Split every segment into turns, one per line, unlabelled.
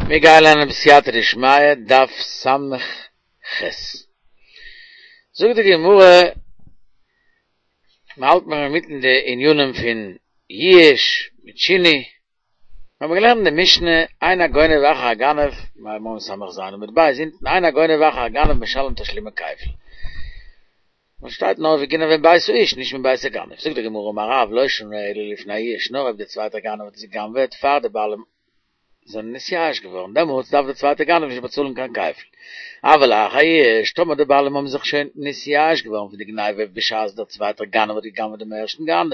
מיר גייען לערנען בסייעתא דשמיא דף ס"ח. זאגט די גמרא, מ'האלט מיר אינמיטן די ענינים פון ייאוש מיט שינוי, מיר האבן געלערנט אין די משנה, אין הגונב אחר הגנב, מיר ס"ז עמוד ב' אונטן, אין הגונב אחר הגנב משלם תשלומי כפל. וואס שטייט נאר וגנב מבית האיש נישט מבית הגנב, זאגט די גמרא אמר רב לא שנו אלא לפני הייאוש נאר אויב דער צווייטער גנב האט עס גע'גנב'עט פאר די בעלים זענען נתייאש געווארן דעמאלטס דארף דער צווייטער גנב נישט באצאלן קיין כפל, אבל לאחר יאוש טאמער די בעלים האבן זיך שוין נתייאש געווארן פון די גניבה בשעת דער צווייטער גנב האט גע'גנב'עט דעם ערשטן גנב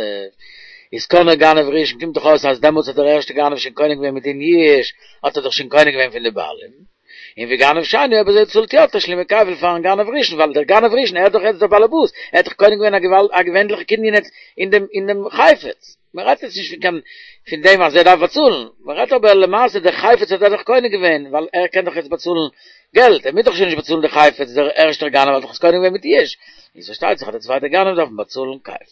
איז קנה גנב ראשון קומט דאך אויס אז דעמאלטס האט דער ערשטער גנב שוין קונה געווען מדין יאוש האט ער דאך שוין קונה געווען פון די בעלים. און וגנב שני אויב אזוי צאלט יא תשלומי כפל פארן גנב ראשון ווייל דער גנב ראשון ער איז דאך יעצט דער באלעבאס ער האט דאך קונה געווען א געוואלד א געווענליכע קנין יעצט אין דעם אין דעם חפץ מען רעדט יעצט נישט פון קיין פון דעם אז ער דארף באצאלן מען רעדט אבער למעשה דער חפץ האט ער דאך קונה געווען ווייל ער קען דאך יעצט באצאלן געלט ער מוז דאך שוין נישט באצאלן די חפץ דער ערשטער גנב האט דאך עס קונה געווען מיט יאוש איז פארשטייט זיך אז דער צווייטער גנב דארף באצאלן כפל.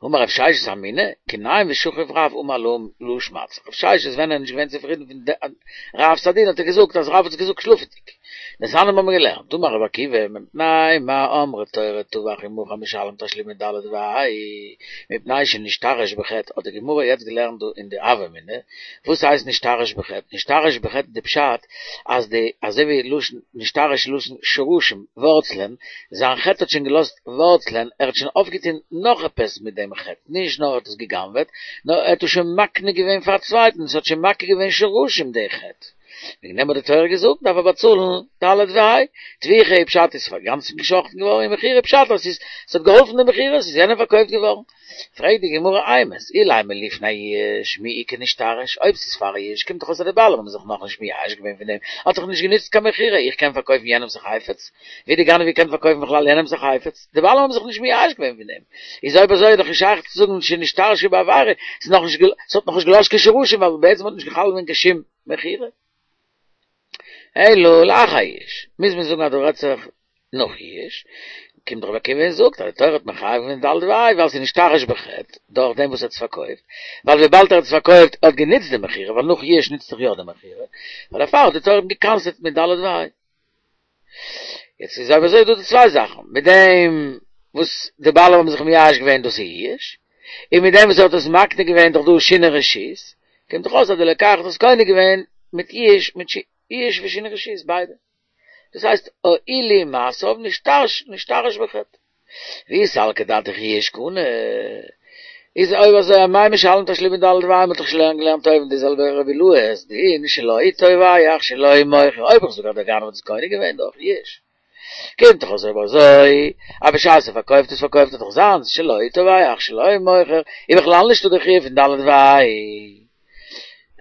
אמר רב ששת אמינא, כי ניים ושכיב רב אמר להא שמעתתא. רב ששת ווען ער איז נישט געווען צופרידן פון רב'ס א דין האט ער געזאגט אז רב האט עס געזאגט שלאפעדיג. דתניא האבן מיר געלערנט, אמר רבי עקיבא, מפני מה אמרה תורה טבח ומכר משלם תשלומי ד' וה', מפני שנשתרש בחטא, האט די גמרא יעצט געלערנט דא אין די הוה אמינא, וואס הייסט נשתרש בחטא? נשתרש בחטא איז די פשט אז די אזוי ווי לשון נשתרש לשון שרשים, ווארצלען, זיין חטא האט שוין געלאזט ווארצלען, ער האט שוין אויפגעטון נאך עפעס מיט דעם חטא, נישט נאר ער האט עס גע'גנב'עט, נאר ער האט עס שוין מקנה געווען פאר א צווייטן, עס האט שוין מכה געווען שרשים די חטא. וועגן דעם האט די תורה געזאגט דארף ער באצאלן ד' וה'. טביחה איז פשט איז אינגאנצן געשאכטן געווארן און מכירה פשט אז עס האט געהאלפן די מכירה, עס איז יענעם פארקויפט געווארן. פרעגט די גמרא אימת, אילימא לפני יאוש, מי איכא נשתרש, אויב ס'איז פאר יאוש קומט דאך אויס אז די בעלים האבן זיך נאכנישט מייאש געווען פון דעם, האט דאך נישט גענוצט קיין מכירה, איך קען פארקויפן יענעמס א חפץ? ווי די גנב געקענט פארקויפן בכלל יענעמס א חפץ? די בעלים האבן זיך נישט מייאש געווען פון דעם, איז אויב אזוי איז דאך נישט שייך צו זאגן שנשתרשו בעבירה, ס'איז נאכנישט ס'האט נאכנישט געלאזט קיין שרשים ווייל בעצם האט נישט חל געווען קיין שום מכירה. אלא לאחר יאוש, מוז מען זאגן אז דא רעדט זיך נאך יאוש, קומט רבי עקיבא און זאגט אז די תורה האט מחייב געווען ד' וה' ווייל ס'איז נשתרש בחטא דורך דעם וואס ער האט עס פארקויפט, ווייל וויבאלד ער האט עס פארקויפט האט גענוצט די מכירה, ווייל נאך יאוש נוצט זיך יא די מכירה, ווייל דערפאר האט די תורה אים גע'קנס'עט מיט ד' וה'. יעצט איז אויב אזוי דא די צוויי זאכן, מיט דעם וואס די בעלים האבן זיך מייאש געווען דאס איז יאוש, און מיט דעם וואס ער האט עס מקנה געווען דאך דא שינוי רשות, קומט דאך אויס אז די לוקח האט עס קונה געווען מיט יאוש מיט יאוש ושינוי רשות ביידע. דאס הייסט הועילו מעשיו נשתרש נשתרש בחטא. ואי סלקא דעתך יאוש קנה, איז אויב אזוי אמאי משלם תשלומי ד' וה' מ'האט דאך שוין געלערנט אויבן די זעלבע רבי אילעא'ס דין שלו טובח שלו מוכר אויב איך זאג אז דער גנב האט עס קונה געווען דורך יאוש קומט דאך אויס אויב אזוי אז בשעת ער פארקויפט עס פארקויפט ער דאך זיינס שלו טובח שלו מוכר איז בכלל נישטא די חיוב פון ד' וה'.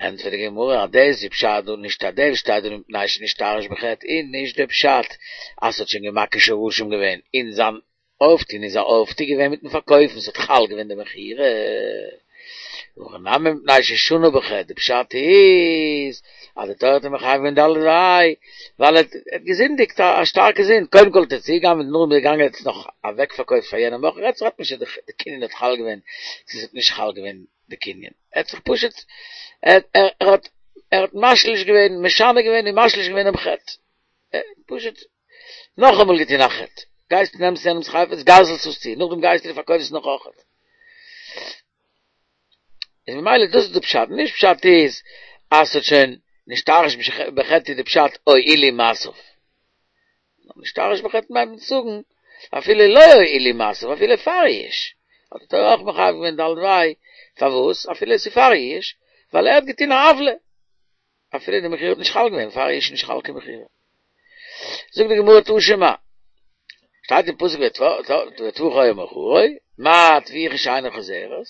ענטפערט די גמרא אז דאס איז פשט דא נישט אז דאס שטייט דא מפני שנשתרש בחטא איז נישט די פשט אז ס'האט שוין געמאכט שרשים געווען אין זיין אויפטון איז א אויפטו געווען מיטן פארקויפן ס'האט חל געווען די מכירה הכא נמי מפני ששנה בחטא די פשט איז אז די תורה האט אים מחייב געווען ד' וה' ווייל ער האט געזינדיגט א שטארקע זינד קודם כל האט ער צוגעגנבעט נאכדעם איז ער געגאנגען ער האט עס נאך אוועקפארקויפט פאר יענעם מוכר רעדט זיך נישט אז די קנין האט חל געווען צו ס'האט נישט חל געווען די קנין, ער האט זיך פשוט, ער האט ער האט משליש געווען, משנה געווען און משליש געווען דעם חטא, פשוט נאכאמאל געטון א חטא, גייסט נעמסט יענעמס חפץ גזל'סט עס צו, נאכדעם גייסטו און פארקויפסט עס נאך אויכעט. איז ממילא דאס איז די פשט, נישט פשט איז אז ס'האט שוין נשתרש בחטא איז די פשט הועילו מעשיו. נשתרש בחטא מיינט מען צו זאגן אפילו לא הועילו מעשיו אפילו פאר יאוש האט די תורה אויך מחייב געווען ד' וה' פארוואס אפילו עס איז פאר יאוש ווייל ער האט געטון א עוולה אפילו די מכירה האט נישט חל געווען פאר יאוש איז נישט חל קיין מכירה זאגט די גמרא תא שמע שטייט אין פסוק וטבחו או מכרו מה טביחה שאינה חוזרת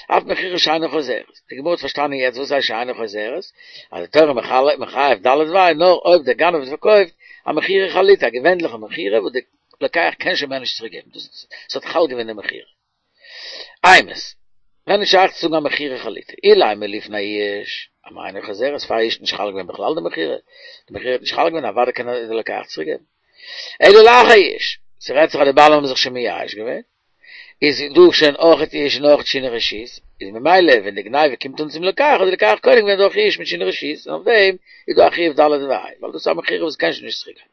אף מכירה שאינה חוזרת די גמרא האט פארשטאנען יעצט וואס הייסט שאינה חוזרת אז די תורה מחייב ד' וה' נאר אויב דער גנב האט פארקויפט א מכירה חלוטה א געווענליכע מכירה וואס די לוקח קען שוין מער נישט צוריק געבן דאס ס'האט חל געווען די מכירה אימת ווען איז שייך צו זאגן א מכירה חלוטה אילימא לפני יאוש אמאי אינה חוזרת פאר יאוש נישט חל געווען בכלל די מכירה די מכירה האט נישט חל געווען אוודאי קען די לוקח צוריק געבן אלא לאחר יאוש ס'רעדט זיך אז די בעלים האבן זיך שוין מייאש געווען. איז דא שוין אויכעט יאוש און אויכעט שינוי רשות, איז ממילא ווען די גניבה קומט אן צום לוקח האט די לוקח קונה געווען דורך יאוש מיט שינוי רשות, און אויף דעם איז דא א חיוב ד' וה', ווייל דאס איז א מכירה וואס קען שוין נישט צוריק גיין.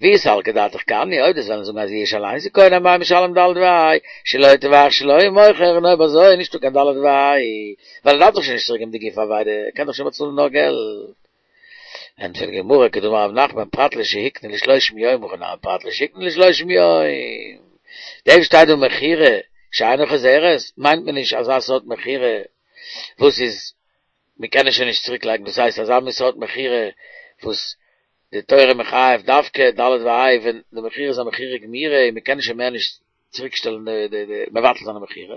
ואי סלקא דעתך קני, אויב דו'סט וועלן זאגן אז יאוש אליינס איז קונה אמאי משלם ד' וה', שלו טבח שלו מוכר, און אויב אזוי איז נישטא קיין ד' וה', ווייל ער דארף דאך שוין נישט צוריק געבן די גוף אבידה, ער קען דאך שוין באצאלן נאר געלט. ענטפערט די גמרא כדאמר רב נחמן פרט לשהקנה לשלושים יום הכא נמי פרט לשהקנה לשלושים יום. דעם שטייט דא מכירה שאינה חוזרת מיינט מען נישט אזא סארט מכירה וואס איז מען קען עס שוין נישט צוריק לייגן דאס הייסט אזא מין סארט מכירה וואס די תורה מחייב דווקא ד' וה' ווען די מכירה איז א מכירה גמירה און מען קען שוין מער נישט צוריק שטעלן די די די מבטל זיין די מכירה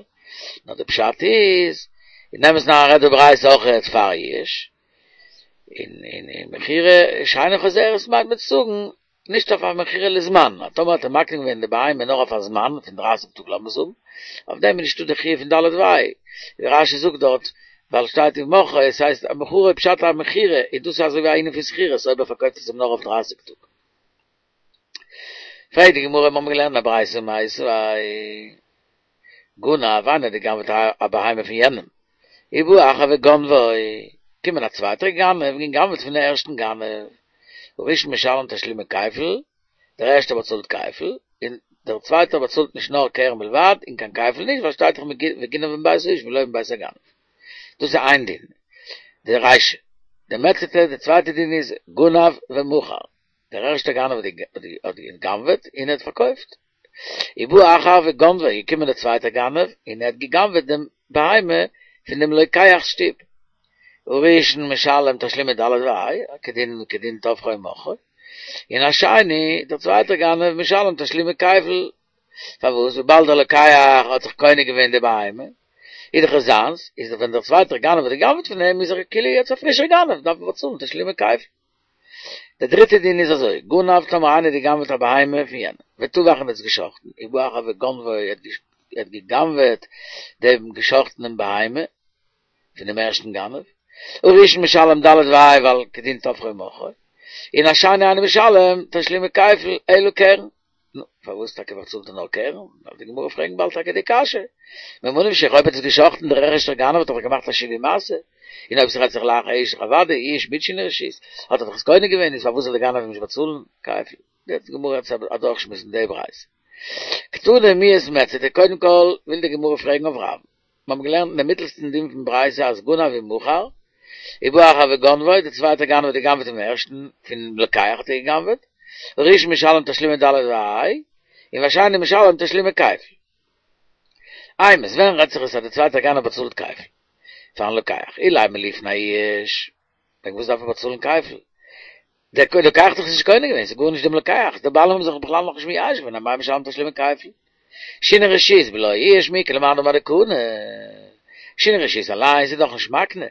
נאר די פשט איז אין אמת'ן רעדט די ברייתא אויכעט פאר יאוש אין אין אין מכירה שאינה חוזרת מיינט מען צו זאגן נישט אויף א מכירה לזמן אז טאמער האט ער מקנה געווען די בהמה נאר אויף א זמן פון דרייסיג טאג לאמיר זאגן אויף דעם איז נישטא די חיוב פון ד' וה' ווי רש"י זאגט דארט ווייל שטייט ומכרו עס הייסט א מכרו פשט א מכירה איז דאס אזוי ווי א ענין פון שכירות אויב ער פארקויפט עס אים נאר אויף דרייסיג טאג. פרעגט די גמרא, מיר האבן געלערנט א ברייתא מיתיבי גנב, איינער האט גע'גנב'עט א בהמה פון יענעם, ובא אחר וגנבו, קומען א צווייטער גנב און גע'גנב'עט פון די ערשטן גנב, הראשון משלם תשלומי כפל, דער ערשטער באצאלט כפל, און דער צווייטער באצאלט נישט נאר קרן בלבד און קיין כפל נישט, ווייל שטייט דאך וגנב מבית האיש ולא מבית הגנב. דאס איז איין דין, די רישא. די מציעתא, די צווייטע דין איז גנב ומכר. דער ערשטער גנב האט גע'גנב'עט און ער האט פארקויפט. ובא אחר וגנבו, איז געקומען דער צווייטער גנב און ער האט גע'גנב'עט דעם בהמה פון דעם לוקח'ס שטוב. הראשון משלם תשלומי ד' וה', כדין כדין טבחו ומכרו. און השני, דער צווייטער גנב משלם תשלומי כפל. פארוואס? וויבאלד דער לוקח האט זיך קונה געווען די בהמה, איז דאך עס זיינס, איז ווען דער צווייטער גנב האט גע'גנב'עט פון אים, איז ער כאילו יעצט א פרישער גנב, דארף ער באצאלן תשלומי כפל. דער דריטער דין איז אזוי, גנב טאמער איינער האט גע'גנב'עט א בהמה פון יענעם, וטבח און האט עס גע'שחט'ן, ובא אחר וגנבו ער האט גע'גנב'עט דעם גע'שחט'נעם בהמה פון דעם ערשטן גנב, הראשון משלם ד' וה' ווייל כדין טבחו ומכרו, און השני אינו משלם תשלומי כפל אלא קרן. נו, פארוואס טאקע באצאלט ער נאר קרן? דארף די גמרא פרעגן באלד טאקע די קשיא. ממה נפשך, אויב האט עס געשאכטן דער ערשטער גנב האט ער דאך געמאכט א שינוי מעשה, און אויב ס'רעדט זיך לאחר יאוש אוודאי יאוש מיט שינוי רשות, האט ער דאך עס קונה געווען, איז פארוואס זאל דער גנב אים נישט באצאלן כפל? די גמרא וועט אדורכשמועסן די ברייתא. קתני מיהת מציעתא, קודם כל וויל די גמרא פרעגן אויף רב. מיר האבן געלערנט אין דעם מיטלסטן דין פון ברייתא אז גנב ומכר, ובא אחר וגנבו, דער צווייטער גנב האט גע'גנב'עט פונעם ערשטן, פונעם לוקח האט ער גע'גנב'עט, הראשון משלם תשלומי ד' וה', און והשני משלם תשלומי כפל. אימת, ווען רעדט זיך עס אז דער צווייטער גנב באצאלט כפל פארן לוקח, אילימא לפני יאוש, וועגן וואס דארף ער באצאלן כפל? דער לוקח האט דאך עס נישט קונה געווען, ס'איז גארנישט דעם לוקח, די בעלים האבן זיך בכלל נאכנישט מייאש געווען, אמאי משלם תשלומי כפל. שינוי רשות בלא יאוש מי איכא למאן דאמר דקני. שינוי רשות אליינס איז דאך נישט מקנה.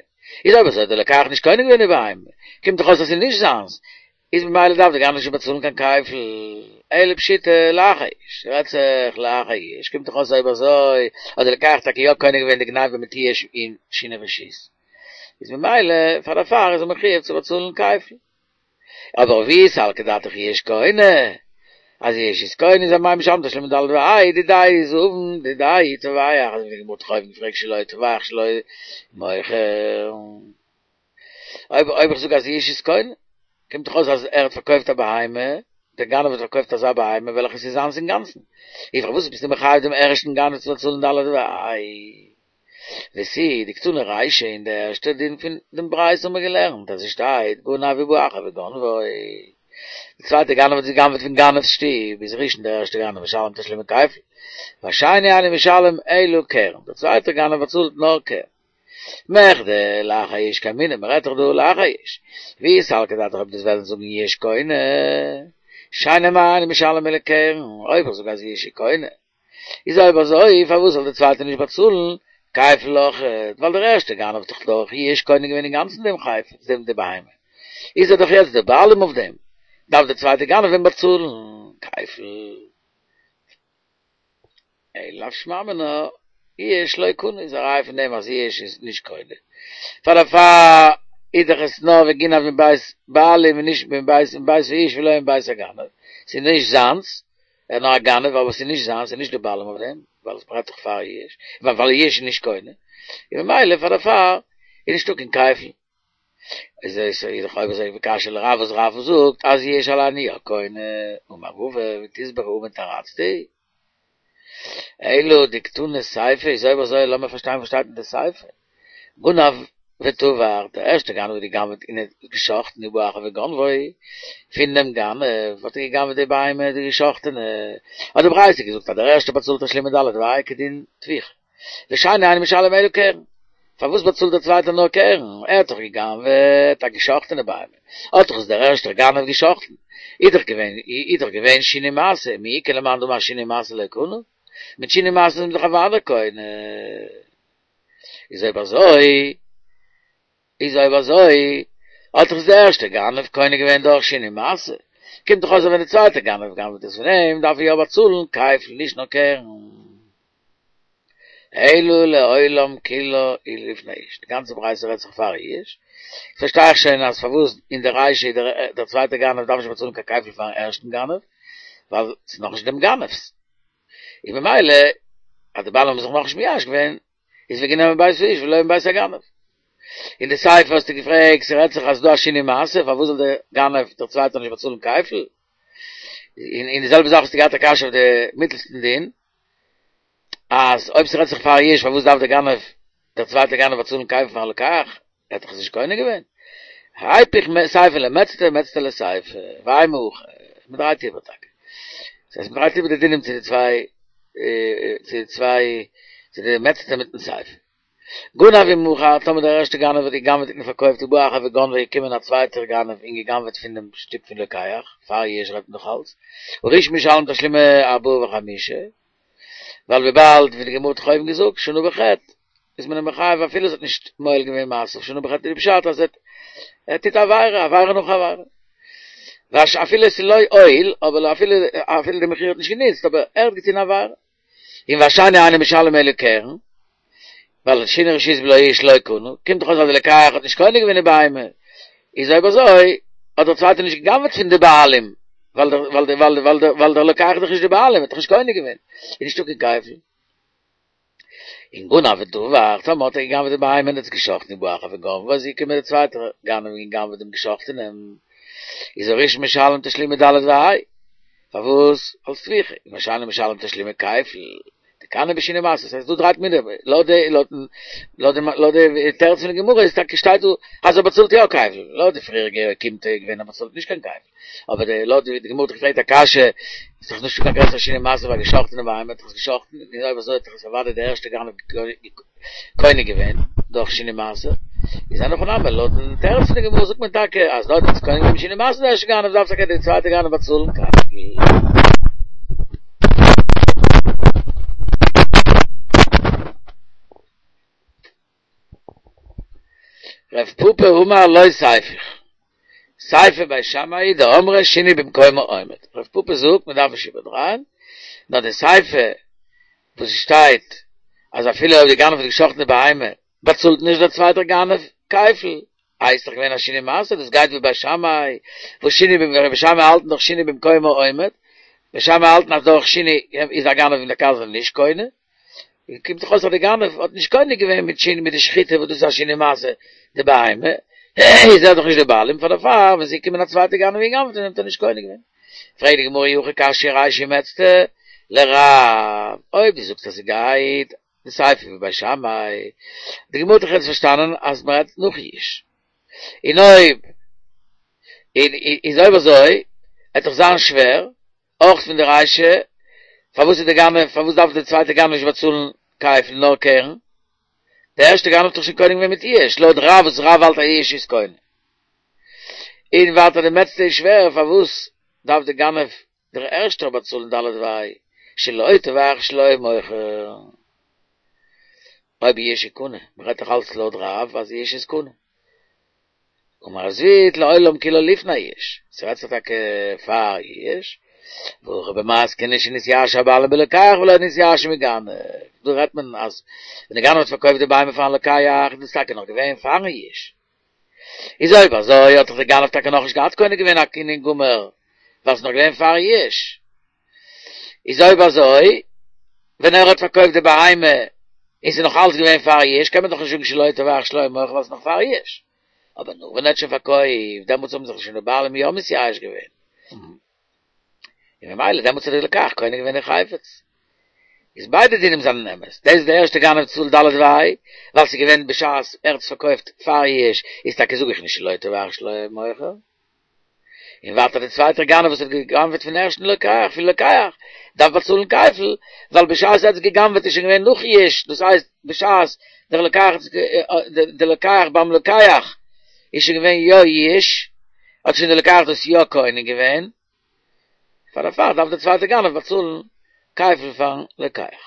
איז אויב אזוי האט דער לוקח נישט קונה געווען די בהמה, קומט דאך אויס אז ס'איז נישט זיינס, איז ממילא דארף דער גנב נישט באצאלן קיין כפל, אלא פשיטא לאחר יאוש, רעדט זיך לאחר יאוש, קומט דאך אויס אויב אזוי האט דער לוקח טאקע יא קונה געווען די גניבה מיט יאוש און שינוי רשות. איז ממילא פאר דערפאר איז ער מחויב צו באצאלן כפל. אבער ואי סלקא דעתך יאוש קונה, אז יאוש איז קונה איז אמאי משלם תשלומי ד' וה' דידיה זבין דידיה טובח, אזוי ווי די גמרא האט דאך אויבן געפרעגט שלו טובח שלו מוכר. אויב אויב איך זאג אז יאוש איז קונה, קומט דאך אויס אז ער האט פארקויפט א בהמה, דער גנב האט פארקויפט אזא בהמה וועלכע איז זיינס אינגאנצן. איז פארוואס ביסטו מחייב דעם ערשטן גנב צו באצאלן ד' וה'? ותו דקתני רישא אין די ערשטע דין פון דעם ברייתא האבן מיר געלערנט אז עס שטייט גנב ובא אחר וגנבו די צווייטע גנב האט געגנב'עט פון גנב'ס שטוב איז ראשון דער ערשטע גנב משלם תשלומי כפל והשני אינו משלם אלא קרן דער צווייטער גנב באצאלט נאר קרן מכדי לאחר יאוש קאמינא מען רעדט דאך דא לאחר יאוש ואי סלקא דעתך אויב דו'סט וועלן זאגן יאוש קונה שני אמאי אינו משלם אלא קרן אויב איך זאג אז יאוש איז קונה איז אויב אזוי פארוואס זאל דער צווייטער נישט באצאלן כפל אויכעט, ווייל דער ערשטער גנב האט דאך דורך יאוש קונה געווען אינגאנצן דעם חפץ, דעם די בהמה, איז ער דאך יעצט דער בעלים אויף דעם, דארף דער צווייטער גנב אים באצאלן כפל. אלא לאו שמע מינה, יאוש לא קני איז א ראיה פון דעם אז יאוש איז נישט קונה, פאר דערפאר איז דאך עס נאר וגנב מבית בעלים און נישט מבית מבית האיש ולא מבית הגנב, ס'איז נישט זיינס, ער איז נאר א גנב אבער ס'איז נישט זיינס, ס'איז נישט די בעלים אויף דעם. ווייל עס מ'רעדט דאך פאר יאוש, ווייל יאוש איז נישט קונה, און ממילא פאר דערפאר איז נישטא קיין כפל. איז עס איז דאך אויב אזוי וקשיא לרב וואס רב זאגט אז יאוש אליין איז יא קונה, אמר רבא ותסברא אמן תרצתי. אלא דקתני סיפא איז אויב אזוי לאמיר פארשטיין וואס שטייט אין די סיפא. גנב וטבח, דער ערשטער גנב האט גע'גנב'ט און האט גע'שחט'ן ובא אחר וגנבו, פון דעם גנב האט ער גע'גנב'ט די בהמה די גע'שחט'ענע, האט די ברייתא געזאגט אז דער ערשטער באצאלט תשלומי ד' וה' כדין טביחה, ושני אינו משלם אלא קרן, פארוואס באצאלט דער צווייטער נאר קרן, ער האט דאך גע'גנב'ט א גע'שחט'ענע בהמה, האט דאך עס דער ערשטער גנב גע'שחט'ן, איז דאך געווען איז דאך געווען שינוי מעשה, מי איכא למאן דאמר שינוי מעשה לא קנה, מיט שינוי מעשה איז מען דאך אוודאי קונה. איז אויב אזוי, איז אויב אזוי, האט דאך דער ערשטער גנב קונה געווען דורך שינוי מעשה, קומט דאך אויס אז ווען דער צווייטער גנב גנב'ט עס פון אים, דארף ער יא באצאלן כפל נישט נאר קרן. אלא לעולם כולה היא לפני יאוש, די גאנצע ברייתא רעדט זיך פאר יאוש, פארשטיי איך שוין אז פארוואס אין די רישא דער צווייטער גנב דארף נישט באצאלן קיין כפל פארן ערשטן גנב, ווייל ס'איז נאכנישט דעם גנב'ס. און ממילא אז די בעלים האבן זיך נאכנישט מייאש געווען, איז וגנב מבית האיש ולא מבית הגנב. אין די סיפא האסטו געפרעגט, ס'רעדט זיך אז ס'דא א שינוי מעשה, פארוואס זאל דער גנב דער צווייטער נישט באצאלן כפל? און און די זעלבע זאך האסטו געהאט א קשיא אויף די מיטלסטן דין, אז אויב ס'רעדט זיך פאר יאוש פארוואס דארף דער גנב דער צווייטער גנב באצאלן כפל פארן לוקח? ער האט דאך עס נישט קונה געווען. היפוך סיפא למעצתא ומעצתא לסיפא, ואימא הכי, מ'דרייט איבער טאקע. דאס הייסט מ'דרייט איבער די דינים צו די צוויי, צו די צוויי, צו די מעצתא מיטן סיפא. גנב ומכר, טאמער דער ערשטער גנב האט גע'גנב'ט און פארקויפט ובא אחר וגנבו איז געקומען א צווייטער גנב און גע'גנב'ט פון דעם שטוב פון לוקח, פאר יאוש רעדט מען נאך אלץ, הראשון משלם תשלומי ארבעה וחמישה, ווייל וויבאלד ווי די גמרא האט דאך אויבן געזאגט שנה בחטא איז מען אים מחייב אפילו עס האט נישט מועיל געווען מעשיו שנה בחטא איז די פשט אז ער טוט עבירה עבירה נאך עבירה וואס אפילו עס איז לא הועיל אבער אפילו אפילו די מכירה האט נישט גענוצט אבער ער האט געטון עבירה און והשני אינו משלם אלא קרן ווייל שינוי רשות בלא יאוש לא קנה, קומט דאך אויס אז די לוקח האט נישט קונה געווען די בהמה, איז אויב אזוי האט דער צווייטער נישט גע'גנב'עט פון די בעלים, ווייל דער ווייל דער ווייל ווייל דער ווייל דער לוקח איז דאך נישט די בעלים, האט דאך נישט קונה געווען, איז נישטא קיין כפל. און גנב וטבח, טאמער האט ער גע'גנב'עט די בהמה און עס גע'שחט'ן ובא אחר וגנבו, איז געקומען דער צווייטער גנב און גע'גנב'עט דעם גע'שחט'ענעם, איז הראשון משלם תשלומי ד' וה', פארוואס? אלס טביחה, און והשני משלם תשלומי כפל. דקני בשינוי מעשה, ס'הייסט דא דרייט מען איבער, לויט די לויט לויט די לויט די תירוץ פון די גמרא איז טאקע שטייט דא אז ער באצאלט יא כפל, לויט די פריעריגע אוקימתא איז געווען אז מ'באצאלט נישט קיין כפל, אבער די לויט די גמרא האט דאך געפרעגט א קשיא, איז דאך נישטא קיין גרעסערע שינוי מעשה ביי געשאכטענע בהמה, האט דאך עס געשאכטן, און אויב אזוי האט דאך עס אוודאי דער ערשטער גנב קונה געווען דורך שינוי מעשה, איז אין הכי נמי, לויטן תירוץ פון די גמרא זאגט מען טאקע אז דארט איז קונה געווען בשינוי מעשה דער ערשטער גנב דארף טאקע דער צווייטער גנב באצאלן כפל. רב פפא אמר לא תיפוך, סיפא בית שמאי דאמרי שינוי במקומו עומד, רב פפא זאגט מען דארף נישט איבערדרייען, נאר די סיפא וואס שטייט אז אפילו אויב די גנב האט געשחט'ן די בהמה באצאלט נישט דער צווייטער גנב כפל, איי ס'איז דאך געווען א שינוי מעשה, דאס גייט ווי בית שמאי, וואס שינוי במ בית שמאי האלטן דאך שינוי במקומו עומד, בית שמאי האלטן אז דורך שינוי איז א גנב און דער גזלן נישט קונה, קומט דאך אויס אז די גנב האט נישט קונה געווען מיט שינוי מיט די שחיטה וואס דאס איז א שינוי מעשה די בהמה, איז ער דאך נישט די בעלים פאר דערפאר ווען ס'איז געקומען א צווייטע גנב און גע'גנב'ט האט ער נישט קונה געווען. פרעגט די גמרא אי הכי קשיא רישא ומעצתא לרב, אויב דו זאגסט אז ס'גייט די סיפא ווי בית שמאי, די גמרא האט דאך יעצט פארשטאנען אז מ'רעדט נאך יאוש, און אויב און איז אויב אזוי וועט דאך זיין שווער אויך פון די רישא, פארוואס איז די גנב, פארוואס דארף די צווייטע גנב נישט באצאלן כפל נאר קרן? די ערשטע גנב האט דאך שוין קונה געווען מיט יאוש, לויט רב וואס רב האלט אז יאוש איז קונה. און ווייטער די מעצתא איז שווער, פארוואס דארף די גנב דער ערשטער באצאלן ד' וה' שלו טובח שלו מוכר? אויב יאוש איז קונה, מ'רעדט דאך אלץ לויט רב אז יאוש איז קונה. אמר רב זביד לעולם כולה לפני יאוש, ס'רעדט זיך טאקע פאר יאוש, והכא במתקנא שנתייאשו הבעלים בלוקח ולא נתייאשו מגנב, דא רעדט מען אז ווען די גנב האט פארקויפט די בהמה פארן לוקח איז דאס טאקע נאך געווען פארן יאוש, איז אויב אזוי האט דאך די גנב טאקע נאכנישט געהאט קונה געווען א קנין גמור ווייל ס'איז נאך געווען פאר יאוש, איז אויב אזוי. ווען ער האט פארקויפט די בהמה און ס'איז נאך אלץ געווען פאר יאוש קען מען דאך נישט זאגן שלא טבח שלא היה מוכר ווייל ס'איז נאך פאר יאוש. אבער נאך ווען ער האט שוין פארקויפט דעמאלטס האבן זיך שוין די בעלים יא מתייאש געווען. און ממילא דעמאלטס האט דער לוקח קונה געווען די חפץ. איז ביידע דינים זענען אמת. דאס איז די ערשטע גנב צאלט ד' וה', ווייל ס'איז געווען בשעת ער האט עס פארקויפט פאר יאוש, איז טאקע זאג איך נישט שלא טבח שלא היה מוכר. און ווייטער דער צווייטער גנב וואס האט גע'גנב'עט פון ערשטן לוקח, פון לוקח, דארף באצאלן כפל, ווייל בשעת ער האט עס גע'גנב'עט איז שוין געווען נאך יאוש, דאס הייסט בשעת דער לוקח האט עס דער לוקח ביים לוקח איז שוין געווען יא יאוש, האט שוין דער לוקח דאס יא קונה געווען, פאר דערפאר דארף דער צווייטער גנב באצאלן כפל פארן לוקח.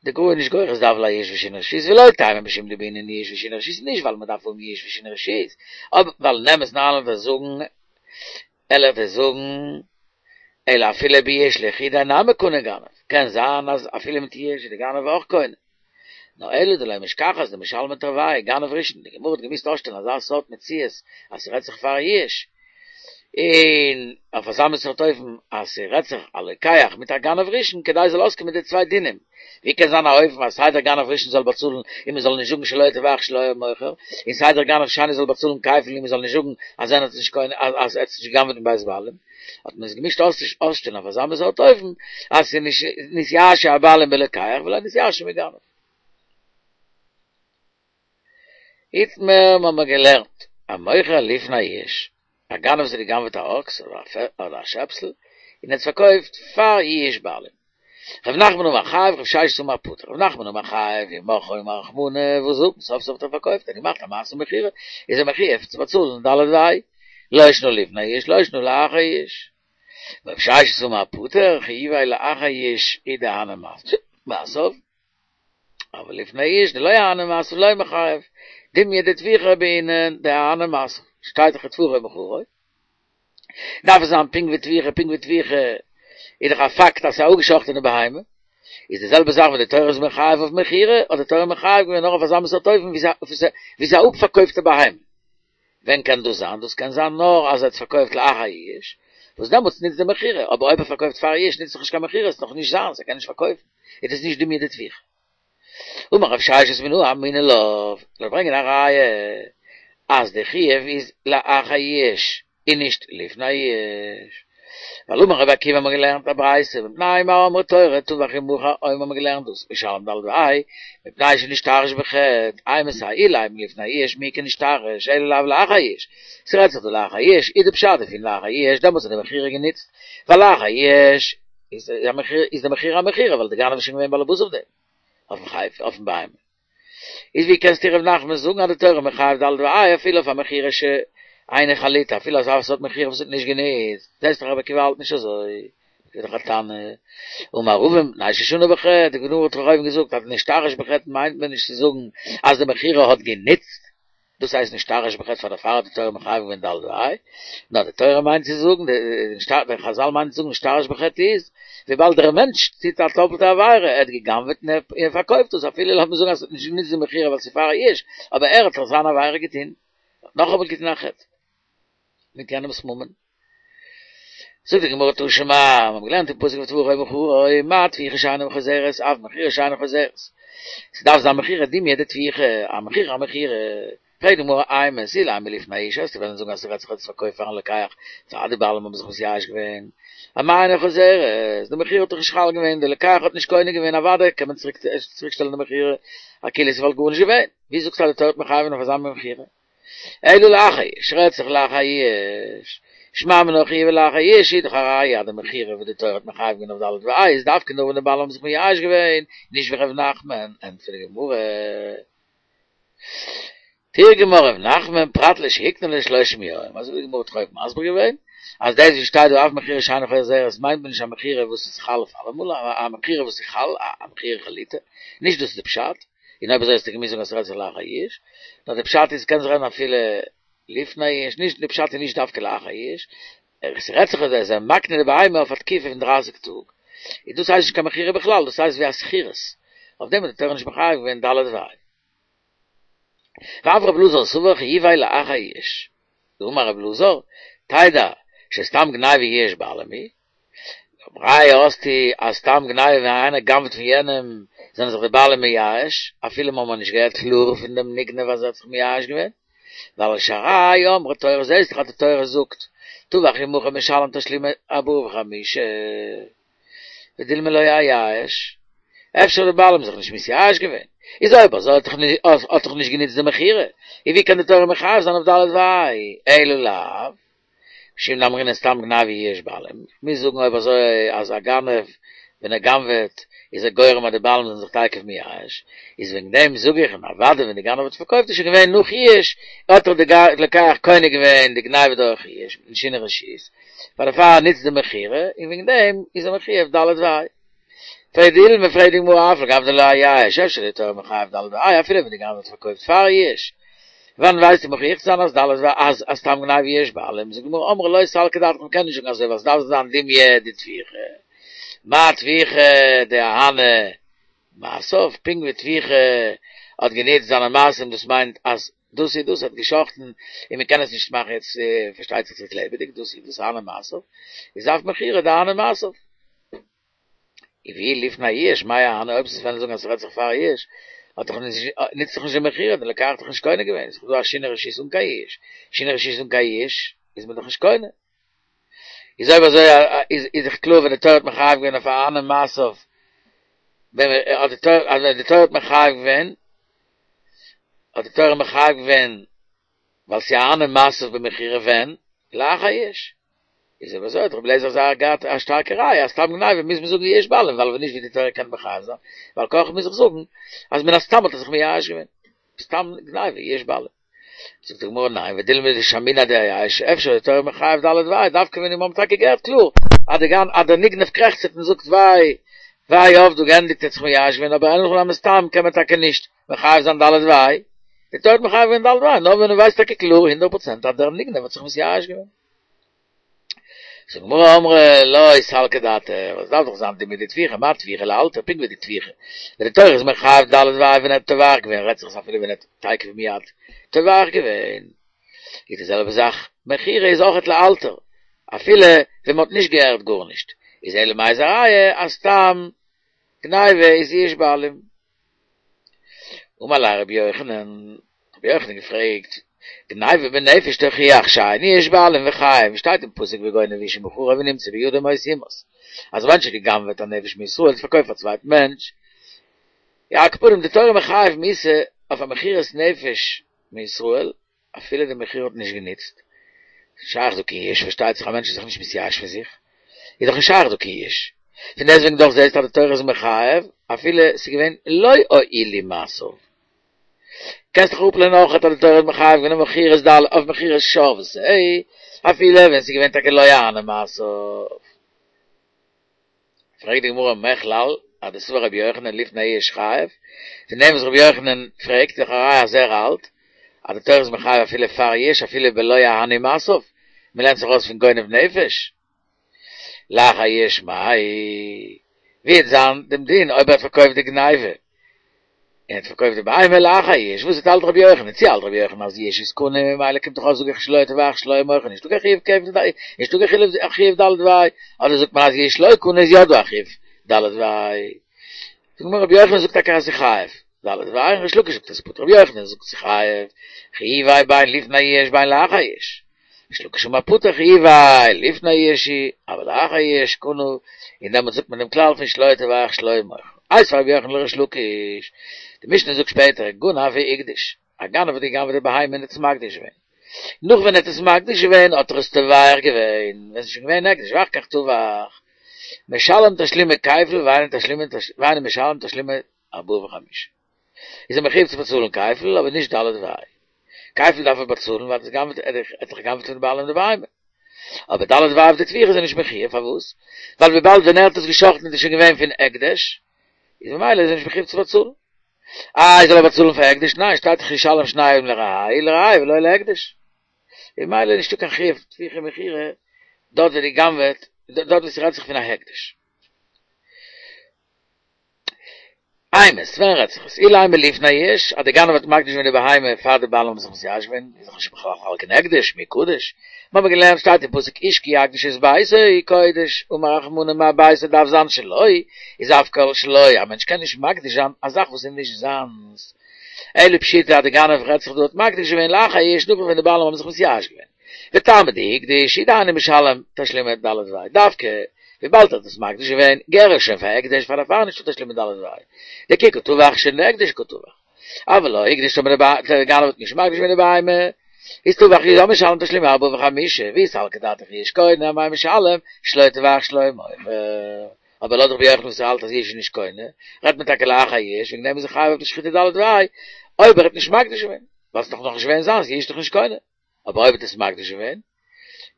די גמרא איז נישט גורס דהוה ליה יאוש ושינוי רשות ולא תימא משום דבעינן יאוש ושינוי רשות נישט ווייל מען דארף האבן יאוש ושינוי רשות אבער ווייל אין אמת'ן אריין וועל איך זאגן וועל איך דיר זאגן אלא אפילו ביאוש לחודיה נמי קני גנב קען זיין אז אפילו מיט יאוש איז די גנב אויך קונה נאר אלא דלא משכחת דמשלמי תרווייהו גנב ראשון די גמרא האט געמוזט אויסשטעלן אזא סארט מציאות אז ס'רעדט זיך פאר יאוש און אויף אזא מין סארט אופן אז ס'רעדט זיך א לוקח מיט א גנב ראשון כדי ס'זאל אויסקומען די צוויי דינים, ווי קען זיין א אופן אז סיי דער גנב ראשון זאל באצאלן און מ'זאל נישט זאגן שלא טבח שלא היה מוכר, און סיי דער גנב שני זאל באצאלן כפל און מ'זאל נישט זאגן אז ער האט נישט קונה אז ער האט נישט גע'גנב'עט מבית בעלים, האט מען עס געמוזט אויסשטעלן אויף אזא מין סארט אופן אז ס'איז נישט נתייאשו הבעלים בלוקח ולא נתייאשו מגנב. איתמר האבן מיר געלערנט, המוכר לפני יאוש, א גנב וואס האט גע'גנב'עט א אקס אדער א שעפסל, און האט עס פארקויפט פאר יאוש בעלים. ר' נחמן אמר חייב, ר' ששת אמר פטור. ר' נחמן אמר חייב, ואם מכרו אמר רחמנא, וואס זאגט מען, סוף סוף האט ער פארקויפט, ער האט געמאכט א מעשה מכירה, איז ער מחויב צו באצאלן ד' וה'. לא שנא לפני יאוש, לא שנא לאחר יאוש. ר' ששת אמר פטור, חיוביה לאחר יאוש הוא דאהני מעשיו. אבל לפני יאוש דלא אהני מעשיו לא מיחייב, דומיא דטביחה בעינן דאהני מעשיו, שטייט דאך וטבחו ומכרו, דארף עס זיין פונקט ווי טביחה, פונקט ווי טביחה איז דאך א פאקט אז ס'איז א אפגעשאכטענע בהמה, איז די זעלבע זאך ווען די תורה איז מחייב אויף מכירה, האט די תורה מחייב געווען נאר אויף אזא מין סארט אופן ווי ס'איז א אפפארקויפטע בהמה. ווען קען דאס זיין? דאס קען זיין נאר אז ער האט פארקויפט לאחר יאוש, וואס דעמאלטס נוצט די מכירה, אבער אויב ער פארקויפט פאר יאוש נוצט דאך נישט קיין מכירה, ס'איז נאך נישט זיינס, ער קען נישט פארקויפן, איז דאס נישט דומיא דטביחה. אמר רב ששת מנא אמינא לה, זאל ברענגען א ראיה אז די חיוב איז לאחר יאוש און נישט לפני יאוש. ווייל אמר רבי עקיבא האמיר געלערנט א ברייתא מפני מה אמרה תורה טבח ומכר אויב האמיר געלערנט דאס משלם ד' וה' מפני שנשתרש בחטא אימתי אילימא לפני יאוש מי איכא נשתרש אלא לאו לאחר יאוש ס'רעדט זיך דא לאחר יאוש איז די פשט דערפון לאחר יאוש דעמאלטס האט די מכירה גענוצט ווייל לאחר יאוש איז איז די מכירה א מכירה ווייל די גנב איז שוין געווען באלעבאס אויף דעם אויפן חפץ אויפן בהמה. איז ווי קענסטו ר' נחמן זאגן אז די תורה מחייב ד' וה' אפילו אויף א מכירה שאינה חלוטה אפילו אזא סארט מכירה וואס האט נישט גענוצט, זעסט דאך רבי עקיבא האלט נישט אזוי, איז דאך א תנא. אמר רבא מפני ששנה בחטא, די גמרא האט דאך אויבן געזאגט אז נשתרש בחטא מיינט מען נישט צו זאגן אז די מכירה האט גענוצט, דאס הייסט נשתרש בחטא פאר דערפאר האט די תורה מחייב געווען ד' וה', נאר די תורה מיינט צו זאגן, די חזל מיינען צו זאגן נשתרש בחטא איז, וויבאלד דער מענטש טוט א טאפלטע עבירה, ער האט גע'גנב'עט און ער פארקויפט עס, אפילו לאמיר זאגן אז עס האט נישט גענוצט די מכירה ווייל ס'איז פאר יאוש, אבער ער האט דאך זיין עבירה געטון, האט נאכאמאל געטון א חטא מיט יענעמ'ס ממון. זאגט די גמרא תא שמע, מיר האבן געלערנט אין פסוק וטבחו ומכרו, מה טביחה שאינה חוזרת, אף מכירה שאינה חוזרת. ס'דארף זיין מכירה דומיא דטביחה, א מכירה א מכירה. פרעגט די גמרא אימת אילימא לפני יאוש, וועסטו וועלן זאגן אז ס'רעדט זיך ער האט עס פארקויפט פארן לוקח, פאר די בעלים האבן זיך מתייאש געווען. אמאי אינה חוזרת, די מכירה האט דאך נישט חל געווען, די לוקח האט נישט קונה געווען, אוודאי קען מען צוריק שטעלן די מכירה, כאילו ס'וואלט גארנישט געווען. ווי זאגסטו אז די תורה האט מחייב געווען אויף אזא מין מכירה? אלא לאחר יאוש, רעדט זיך לאחר יאוש, שמע מינה חיוביה לאחר יאוש איז דאך א ראיה אז די מכירה וואס די תורה האט מחייב געווען אויף ד' וה' איז דווקא נאר ווען די בעלים האבן זיך מייאש געווען, נישט ווי ר' נחמן, ענטפערט די גמרא. תרגמה ר' נחמן פרט לשהקנה לשלושים יום, אזוי ווי די גמרא האט אויבן מסביר געווען, אז דאס וואס שטייט דא אף מכירה שאינה חוזרת מיינט מען נישט א מכירה וואס איז חל אויף אלעמאל, א מכירה וואס איז חל, א מכירה חלוטה, נישט דאס איז די פשט. און אויב אזוי האסטו געמוזט זאגן אז ס'רעדט זיך לאחר יאוש, נאר די פשט איז קען זיך רעדן אפילו לפני יאוש, נישט די פשט איז נישט דווקא לאחר יאוש, עס רעדט זיך אז ער איז מקנה די בהמה אויף א תקופה פון דרייסיג טאג, און דאס הייסט נישט קיין מכירה בכלל, דאס הייסט ווי א שכירות, אויף דעם האט די תורה נישט מחייב געווען ד' וה'. ואף רב אלעזר סבר חיוביה לאחר יאוש, דאמר רב אלעזר, תדע שסתם גניבה יאוש בעלים היא. ראיה האסטו אז סתם גניבה ווען איינער גנב'ט פון יענעם זענען זיך די בעלים מייאש, אפילו מ'האמער נישט געהערט קלאר פון דעם נגנב אז ער האט זיך מייאש געווען, ווייל שהרי אמרה תורה זעהסט דאך אז די תורה זאגט טבח ומכר משלם תשלומי ארבעה וחמישה ודילמא לא אייאש, אפשר האט די בעלים זיך נישט מתייאש געווען, איז אויב אזוי האט דאך נישט גענוצט די מכירה, איז ווי קען די תורה מחייב זיין אויף ד' וה', אלא לאו. משום דאמרינן סתם גניבה יאוש בעלים, מוז זאגן אויב אזוי אז א גנב ווען ער גנב'עט איז ער גורם אז די בעלים זענען זיך תיכף מייאש, איז וועגן דעם זאג איך און אוודאי ווען די גנב האט פארקויפט איז שוין געווען נאך יאוש, האט דאך די לוקח קונה געווען די גניבה דורך יאוש מיטן שינוי רשות, פאר דערפאר נוצט די מכירה און וועגן דעם איז ער מחויב ד' וה'. ודילמא פרעגט די גמרא אף על גב דלא אייאש אפשר די תורה מחייב ד' וה' אפילו ווען די גנב האט פארקויפט פאר יאוש. וואנען ווייסטו מוכיח צו זיין אז ד' וה' אז סתם גניבה יאוש בעלים זאגט די גמרא אמרי לא סלקא דעתך מ'קען נישט זאגן אזוי ווייל ס'דארף זיין דומיא דטביחה מה טביחה דאהני מעשיו פונקט ווי טביחה האט גענוצט זיינע מעשים דאס מיינט אז דאס איז דאס האט געשאכטן און מ'קען עס נישט מאכן יעצט פארשטייט זיך צוריק לעבעדיג דאס איז דאס אהני מעשיו איז אף מכירה דאהני מעשיו. און ואי לפני יאוש מאי אהני אויב וועסט וועלן זאגן אז ס'רעדט זיך פאר יאוש האט דאך נישט נוצט דאך נישט די מכירה די לוקח האט דאך נישט קונה געווען ס'איז דא א שינוי רשות אן קיין יאוש שינוי רשות אן קיין יאוש איז מען דאך נישט קונה איז אויב אזוי איז איז דאך קלאר ווען די תורה האט מחייב געווען אויף אהני מעשיו ווען האט די תורה אז ווען די תורה האט מחייב געווען האט די תורה מחייב געווען ווייל ס'איז אהני מעשיו במכירה ווען? לאחר יאוש. איז אויב אזוי האט רבי אליעזר זייער געהאט א שטארקע ראיה אז סתם גניבה מוז מען זאגן יאוש בעלים ווייל ווען נישט ווי די תורה קען מחייב זיין ועל כרחך מוז איך זאגן אז מן הסתם האט ער זיך מייאש געווען סתם גניבה יאוש בעלים. זאגט די גמרא ניין ודילמא דשמעינן דאייאש אפשר איז די תורה מחייב ד' וה' דווקא ווען מיר האבן טאקע געהערט קלאר אז די גנ אז דער נגנב קרעכצט און זאגט וויי וויי אבדה געענדיגט ער האט זיך מייאש געווען אבער אין הכי נמי סתם קען מען טאקע נישט מחייב זיין ד' וה', די תורה האט מחייב געווען ד' וה', נאר ווען מען ווייסט טאקע קלאר הונדערט פראצענט אז דער נגנב האט זיך מתייאש געווען. זאגט די גמרא אמרי לא סלקא דעתך, עס דארף דאך זיין דומיא דטביחה, מה טביחה לאלתר, פונקט ווי די טביחה, ווען די תורה איז מחייב ד' וה' ווען ער האט טובח געווען, רעדט זיך עס אפילו ווען ער האט תיכף ומיד טובח געווען, איז די זעלבע זאך מכירה איז אויכעט לאלתר, אפילו ווען מען האט נישט געהערט גארנישט, איז אלא מאי איז א ראיה אז סתם גניבה איז יאוש בעלים. אמר ליה רבי יוחנן, רבי יוחנן געפרעגט, גניבה בנפש תוכיח שאין יאוש בעלים וחייב, שטייט אין פסוק וגונב איש ומכרו ונמצא בידו מות יומת, אז א מענטש האט גע'גנב'עט א נפש מישראל און פארקויפט פאר א צווייטן מענטש, יא על כל פנים די תורה מחייב מיתה אויף א מכירת נפש מישראל, אפילו די מכירה האט נישט גענוצט, שייך דא קיין יאוש, פארשטייט זיך א מענטש איז זיך נישט מתייאש פון זיך, איז דאך נישט שייך דא קיין יאוש, פון דעסטוועגן דאך זעסטו אז די תורה איז מחייב אפילו ס'איז געווען לא הועילו מעשיו. קענסט דאך אפלערנען אויך אז די תורה איז מחייב געווען אויף מכירת ד' אויף מכירת שור ושה, אפילו ווען ס'איז געווען טאקע לא אהנו מעשיו. פרעגט די גמרא מכלל אז דסבר רבי יוחנן לפני יאוש חייב, פון דעם וואס רבי יוחנן פרעגט איז דאך א ראיה אז ער האלט אז די תורה איז מחייב אפילו פאר יאוש אפילו בלא אהנו מעשיו, מען לערנט זיך ארויס פון גונב נפש לאחר יאוש מאי, ווי וועט זיין דעם דין אויב ער האט פארקויפט די גניבה און האט פארקויפט די בהמה לאחר יאוש, וואס האלט רבי יוחנן? צו האלט רבי יוחנן אז יאוש איז קונה ממילא קומט דאך אויס זאג איך שלא טבח שלא מוכר נישטא קיין חיוב כפל נישטא קיין חיוב ד' וה', אדער זאגט מען אז יאוש לא קנה איז יא דא א חיוב ד' וה'. זאגט די גמרא רבי יוחנן זאגט טאקע אז ס'איז חייב ד' וה' און ריש לקיש זאגט אז ס'איז פטור רבי יוחנן זאגט ס'איז חייב חיוביה בין לפני יאוש בין לאחר יאוש ריש לקיש אמר פטור חיוביה לפני יאוש אבל לאחר יאוש קנה, און דעמאלטס זאגט מען דעם כלל פון שלא טבח שלא מוכר. איתיביה רבי יוחנן לריש לקיש, די משנה זאגט שפעטער, גנב והקדיש, א גנב האט גע'גנב'עט די בהמה און עס מקדיש געווען. נאך ווען ער האט עס מקדיש געווען האט ער עס טובח געווען, ווען עס איז שוין געווען הקדש ואחר כך טבח, משלם תשלומי כפל ואינו משלם תשלומי ארבעה וחמישה. איז ער מחויב צו באצאלן כפל אבער נישט ד' וה'. כפל דארף ער באצאלן ווייל ער האט דאך גע'גנב'ט פון די בעלים די בהמה. אבער ד' וה' אויף די טביחה איז ער נישט מחויב, פארוואס? ווייל וויבאלד ווען ער האט עס גע'שחט'ן איז עס שוין געווען פון הקדש, איז ממילא איז ער נישט מחויב צו באצאלן. איי זאל ער באצאלן פאר הקדש? ניין, שטייט דאך ישלם שניים לרעהו לרעהו ולא להקדש. איז ממילא נישטא קיין חיוב טביחה מכירה דארט ווי די גנב'עט, דארט ווי ס'רעדט זיך פון א הקדש. אימת, ווען רעדט זיך עס? אילימא לפני יאוש, אז די גנב האט מקדיש געווען די בהמה פאר די בעלים האבן זיך מתייאש געווען, איז דאך נישט בכלל חל קיין הקדש, מי קדוש? מיר האבן געלערנט שטייט אין פסוק איש כי יקדיש את ביתו קודש, אמר רחמנא מה ביתו דארף זיין שלו, איז אף כל שלו, א מענטש קען נישט מקדיש זיין א זאך וואס איז נישט זיינס. אלא פשיטא אז די גנב רעדט זיך דא האט מקדיש געווען לאחר יאוש נאכדעם ווען די בעלים האבן זיך מתייאש געווען. וטעמא דהקדיש הוא דאינו משלם תשלומי ד' וה' דווקא וויבאלד ער האט עס מקדיש געווען געהער עס שוין פאר הקדש פאר דערפאר נישטא תשלומי ד' וה' דכי קא טבח שוין דהקדש קא טבח אבל לא הקדיש טאמער דער גנב האט נישט מקדיש געווען די בהמה איז טבח איז יא משלם תשלומי ארבעה וחמישה ואי סלקא דעתך יאוש קונה אמאי משלם שלו טבח שלו מוכר אבער לויט רבי יוחנן וואס ער האלט אז יאוש איז נישט קונה רעדט מען טאקע לאחר יאוש וועגן דעם איז ער חייב אויף די שחיטה ד' וה' אויב ער האט נישט מקדיש געווען ווייל ס'איז דאך נאכנישט געווען זיינס יאוש איז דאך נישט קונה. אבער אויב האט עס מקדיש געווען,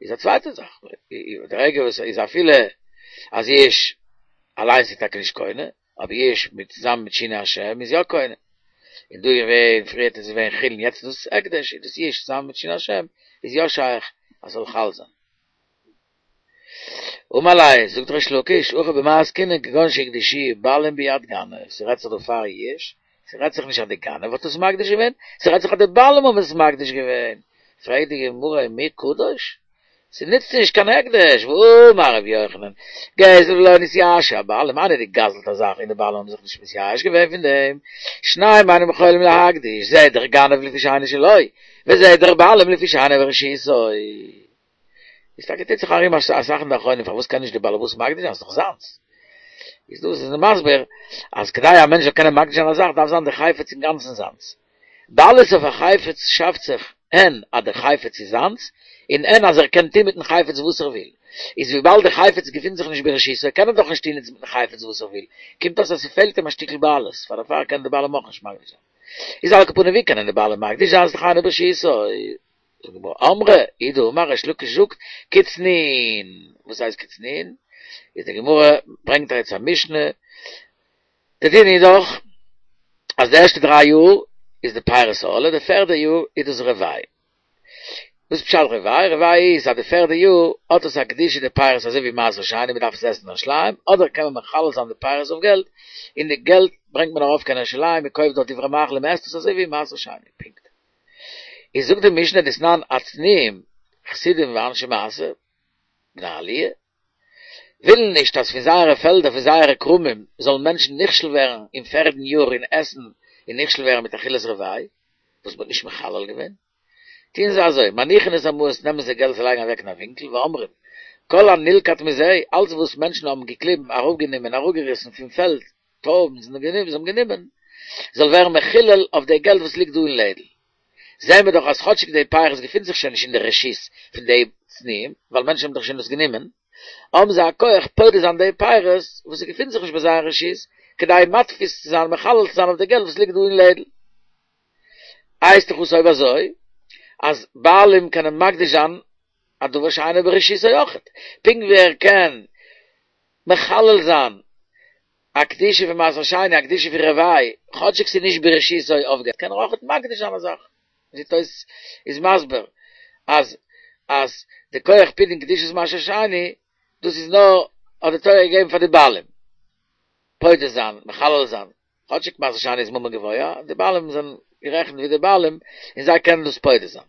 איז א צווייטע זאך, די רגע וואס איז אפילו אז יאוש אליינס איז טאקע נישט קונה, אבער יאוש מיט צוזאמען מיט שינוי השם איז יא קונה. און דא איז געווען, פריערט איז געווען חולין יעצט איז דאס הקדש, איז דאס יאוש צוזאמען מיט שינוי השם איז יא שייך אז ס'זאל חל זיין. אמר ליה, זאגט ריש לקיש, הכא במאי עסקינן כגון שהקדישוה בעלים ביד גנב, ס'רעדט זיך דא פאר יאוש, ס'רעדט זיך נישט אז די גנב האט עס מקדיש געווען, ס'רעדט זיך אז די בעלים האבן עס מקדיש געווען. פרעגט די גמרא ומי קדוש? ס'נוצט נישט קיין הקדש, והאמר רבי יוחנן, גזל ולא נתייאשו הבעלים, איינער האט געגזלט א זאך און די בעלים האבן זיך נישט מתייאש געווען פון דעם, שניהם אינם יכולים להקדיש, זה דער גנב לפי שאינו שלו, וזה דער בעלים לפי שאינו ברשותו. איז טאקע טוט זיך ארום אסאך אין די אחרונים פארוואס קען נישט די באלעבאס מקדיש זיין ס'איז דאך זיינס. איז דאס איז מען מסביר אז כדי א מענטש זאל קענען מקדיש זיין א זאך דארף זיין די חפץ אינגאנצן זיינס. בעלות אויף א חפץ שאפט זיך הן אז די חפץ איז זיינס, און הן אז ער קען טון מיטן חפץ וואס ער וויל. איז וויבאלד די חפץ געפינט זיך נישט ברשותו קען ער דאך נישט טון איצט מיטן חפץ וואס ער וויל, קומט אויס אז ס'פעלט אים א שטיקל בעלות, פאר דערפאר קענען די בעלים אויך נישט מקדיש זיין. איז על כל פנים ווי קענען די בעלים מקדיש זיין ס'איז דאך אינו ברשותו? זאגט די גמרא, אמרי, הוא דאמר ריש לקיש זאגט, כצנועין, וואס הייסט כצנועין? איז די גמרא ברענגט דאך יעצט א משנה, די דין איז דאך אז די ערשטע דריי יאר איז די פירות ערלה, די פערדע יאר איז דאס רבעי. וואס פשט רבעי? רבעי איז אז די פערדע יאר האט עס א קדושה די פירות אזוי ווי מעשר שני מען דארף עס עסן אין ירושלים, אדער קען מען מחלל זיין די פירות אויף געלט, און די געלט ברענגט מען ארויף קיין ירושלים מען קויפט דארט דברי מאכל און מען עסט עס אזוי ווי מעשר שני, פונקט. איז זאגט די משנה דתנן הצנועים חסידים ואנשי מעשה בני עליה ווילן נישט אז פון זייערע פעלדער פון זייערע כרמים זאלן מענטשן נכשל ווערן אין פערדן יאר אין עסן און נכשל ווערן מיט אכילת רבעי וואס מ'האט נישט מחלל געווען טוען זיי אזוי מניחין את המעות נעמען זיי געלט זיי לייגן אוועק אין א ווינקל ואומרים כל הנלקט מזה אלץ וואס מענטשן האבן געקליבן אראפגענומען אראפגעריסן פון פעלד טרויבן זיי האבן גענומען, זיי האבן גענומען, זאל ווערן מחולל אויף די געלט וואס ליגט דא אין לעדל. זעען מיר דאך אז כאטשיג די פירות געפינט זיך שוין נישט אין די רשות פון די צנועים, ווייל מענטשן האבן דאך שוין דאס גענומען, האבן זיי א כח פודה זיין די פירות וואס עס געפינט זיך נישט ביי זייער רשות, כדי מתפיס צו זיין, מחלל צו זיין אויף די געלט וואס ליגט דא אין לעדל. הייסט דאך אויס אויב אזוי, אז בעלים קענען מקדיש זיין א דבר שאינו ברשותו אויכעט, פונקט ווי ער קען מחלל זיין א קדושה פון מעשר שני, א קדושה פון רבעי, כאטשיג ס'איז נישט ברשותו אויף געלט, קען ער אויכעט מקדיש זיין א זאך. ווי תוס' איז מסביר אז אז די כח פדיון קדושת מעשר שני, דאס איז נאר האט די תורה געגעבן פאר די בעלים, פודה זיין, מחלל זיין, כאטשיג מעשר שני איז ממון גבוה, די בעלים זענען גערעכנט ווי די בעלים און זיי קענען דאס פודה זיין.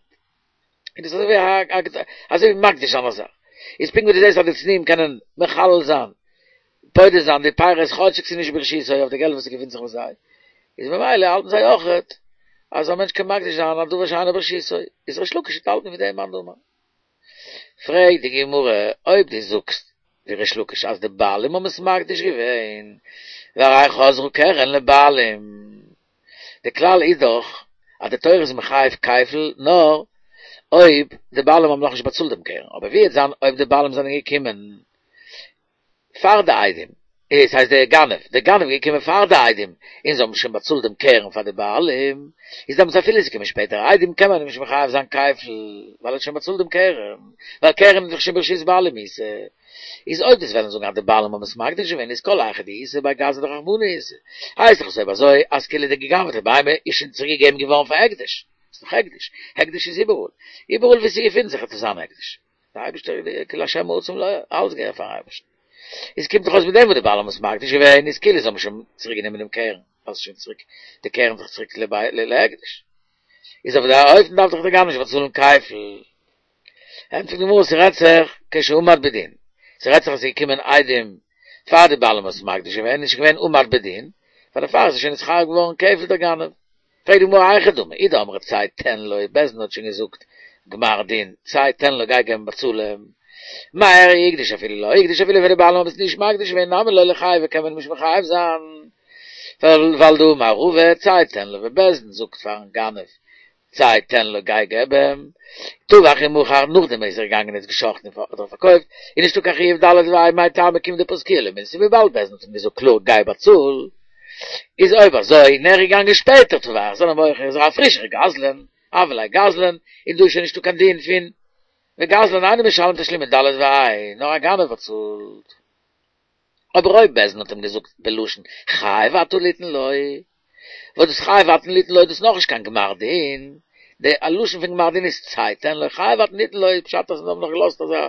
און דאס איז אזוי ווי אזוי ווי מקדיש זיין א זאך. איז פונקט ווי דו זעסט אז די צנועים קענען מחלל זיין, פודה זיין די פירות כאטשיג ס'איז נישט ברשותו אויף די געלט וואס ס'געפינט זיך ביי זיי, איז ממילא האלטן זיי אויכעט אז א מענטש קען מקדיש זיין א דבר שאינו ברשותו. איז ריש לקיש וועט האלטן ווי דעם מאן דאמר. פרעגט די גמרא, אויב דו זאגסט ווי ריש לקיש אז די בעלים האבן עס מקדיש געווען, והרי חזרה קרן לבעלים, די כלל איז דאך אז די תורה איז מחייב כפל נאר אויב די בעלים האבן נאכנישט באצאלט דעם קרן, אבער ווי וועט זיין אויב די בעלים זענען געקומען פאר די עדים, עס הייסט דער גנב, דער גנב איז געקומען פאר די עדים, און זיי האבן שוין באצאלט דעם קרן פאר די בעלים, איז דעמאלטס אפילו עס איז געקומען שפעטער עדים קען מען אים נישט מחייב זיין כפל, ווייל ער האט שוין באצאלט דעם קרן, ווייל קרן איז דאך שוין ברשות בעלים איתא. איז אויב דו'סט וועלן זאגן אז די בעלים האבן עס מקדיש געווען איז כל היכא דאיתא בי גזא דרחמנא איתא, הייסט דאך עס אויב אזוי אז כאילו די גע'גנב'טע בהמה איז שוין צוריק געגעבן געווארן פאר הקדש, איז דאך הקדש, הקדש איז איבעראל, איבעראל וואו ס'געפינט זיך וועט עס זיין הקדש. דער אייבערשטער כי לה' העצים אלעס געהערט פארן אייבערשטן. איז קומט דאך אויס מיט דעם וואס די בעלים האבן עס מקדיש געווען איז כאילו זיי האבן שוין צוריק גענומען דעם קרן. ווייל ס'איז שוין צוריק, די קרן איז דאך צוריק להקדש. איז אויף דער אופן דארף דאך דער גנב נישט באצאלן כפל. ענטפערט די גמרא ס'רעדט זיך כשעמד בדין, ס'רעדט זיך אז ס'איז געקומען עדים פאר די בעלים האבן עס מקדיש געווען, איז שוין געווען עמד בדין, פאר דערפאר איז ער שוין נתחייב געווארן כפל דער גנב. פרעגט די גמרא היכי דמי, אי דאמרת צא תן לו, בית דין האט שוין געזאגט גמר דין, צא תן לו גיי געבן באצאל אים, מאי איריא הקדיש אפילו לא הקדיש אפילו ווען די בעלים האבן עס נישט מקדיש געווען נמי לא ליחייב קען מען אים נישט מחייב זיין, ווייל דאמר רבא צא תן לו ווען בית דין זאגט פארן גנב צא תן לו גיי געב אים, טבח ומכר נאכדעם איז ער געגאנגען און עס געשחט'ן אדער פארקויפט, איז נישטא קיין חיוב ד' וה' מאי טעמא כיון דפסקוה למילתא וויבאלד בית דין האט אים געזאגט קלאר גיי באצאל, איז אויב אזוי און ער איז געגאנגען שפעטער טבח זאל ער מוכר איז ער א פרישער גזלן, הוה ליה גזלן, און דא איז שוין נישטא קיין דין פון וגזלן אינו משלם תשלומי ד' וה' נאר א גנב באצאלט. אבער אויב בית דין האט אים געזאגט בלשון חייב אתה ליתן לו, וואס דאס חייב אתה ליתן לו איז דאס נאכנישט קיין גמר דין, די לשון פון גמר דין איז צא תן לו, חייב אתה ליתן לו איז פשט אז זיי האבן נאך געלאזט אז מען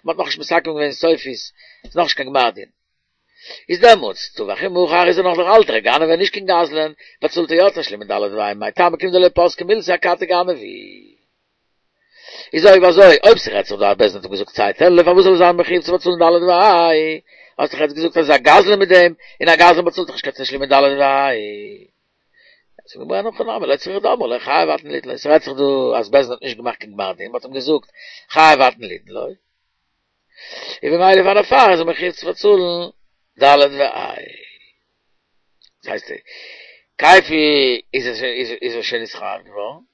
האט נאכנישט מסכם געווען סופית, ס'איז נאכנישט קיין גמר דין. איז דעמאלטס טבח ומכר איז ער נאך דער אלטער גנב און נישט קיין גזלן, באצאלט ער יא תשלומי ד' וה' מאי טעמא כיון דלא פסקה מילתא אכתי גנב הוא. איז אויב אזוי, אויב ס'רעדט זיך דא אז בית דין האט אים געזאגט צא תן לו, פארוואס זאל ער זיין מחויב צו באצאלן ד' וה'? האסט דאך יעצט געזאגט אז ער איז א גזלן מיט דעם, און א גזלן באצאלט דאך נישט קיין תשלומי ד' וה'. זאגט די גמרא אין הכי נמי, לא צריכא דאמרו ליה חייב אתה ליתן לו, ס'רעדט זיך דא אז בית דין האט נישט געמאכט קיין גמר דין, מ'האט אים געזאגט חייב אתה ליתן לו, און במילא פאר דערפאר איז ער מחויב צו באצאלן ד' וה'. דאס הייסט, כפל איז איז ער שוין נתחייב געווארן. און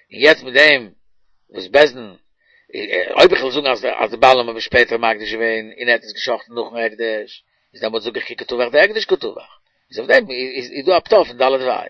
יעצט מיט דעם וואס בית דין, אויב איך וועל זאגן אז אז די בעלים האבן שפעטער מקדיש געווען און ער האט עס גע'שחט'ן נאכן הקדש, איז דעמאלטס זאג איך כי קא טבח דהקדש קא טבח, איז אויף דעם איז דא א פטור פון ד' וה'.